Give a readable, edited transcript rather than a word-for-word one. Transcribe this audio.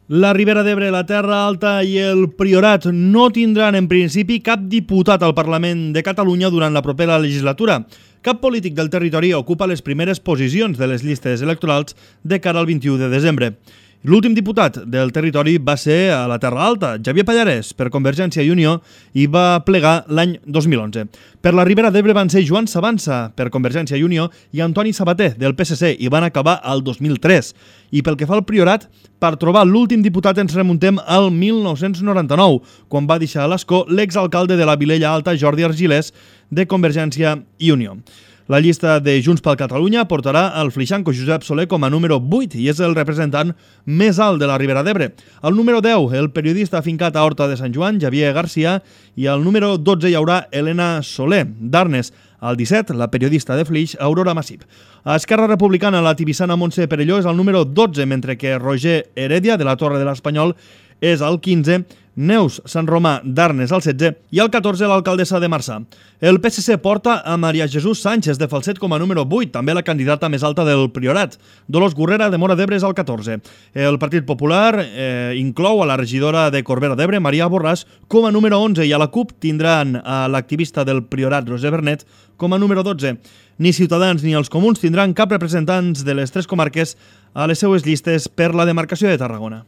La Ribera d'Ebre, la Terra Alta i el Priorat no tindran en principi cap diputat al Parlament de Catalunya durant la propera legislatura. Cap polític del territori ocupa les primeres posicions de les llistes electorals de cara al 21 de desembre. L'últim diputat del territori va ser a la Terra Alta, Xavier Pallarès, per Convergència i Unió, i va plegar l'any 2011. Per la Ribera d'Ebre van ser Joan Sabanza, per Convergència i Unió, i Antoni Sabater, del PSC, i van acabar al 2003. I pel que fa al Priorat, per trobar l'últim diputat ens remuntem al 1999, quan va deixar a l'escó l'exalcalde de la Vilella Alta, Jordi Argilés, de Convergència i Unió. La llista de Junts per Catalunya portarà el flixanco Josep Soler com a número 8 i és el representant més alt de la Ribera d'Ebre. Al número 10, el periodista afincat a Horta de Sant Joan, Javier Garcia, i al número 12 hi haurà Helena Soler, d'Arnes. Al 17, la periodista de Flix, Aurora Massip. A Esquerra Republicana, la tibissana Montse Perelló és el número 12, mentre que Roger Heredia, de la Torre de l'Espanyol, és el 15, Neus Sant Romà d'Arnes al 16 i al 14 l'alcaldessa de Marçà. El PSC porta a Maria Jesús Sánchez de Falset com a número 8, també la candidata més alta del Priorat. Dolors Gurrera de Móra d'Ebre és al 14. El Partit Popular inclou a la regidora de Corbera d'Ebre, Maria Borràs, com a número 11 i a la CUP tindran a l'activista del Priorat, Roser Bernet, com a número 12. Ni Ciutadans ni els Comuns tindran cap representants de les tres comarques a les seues llistes per la demarcació de Tarragona.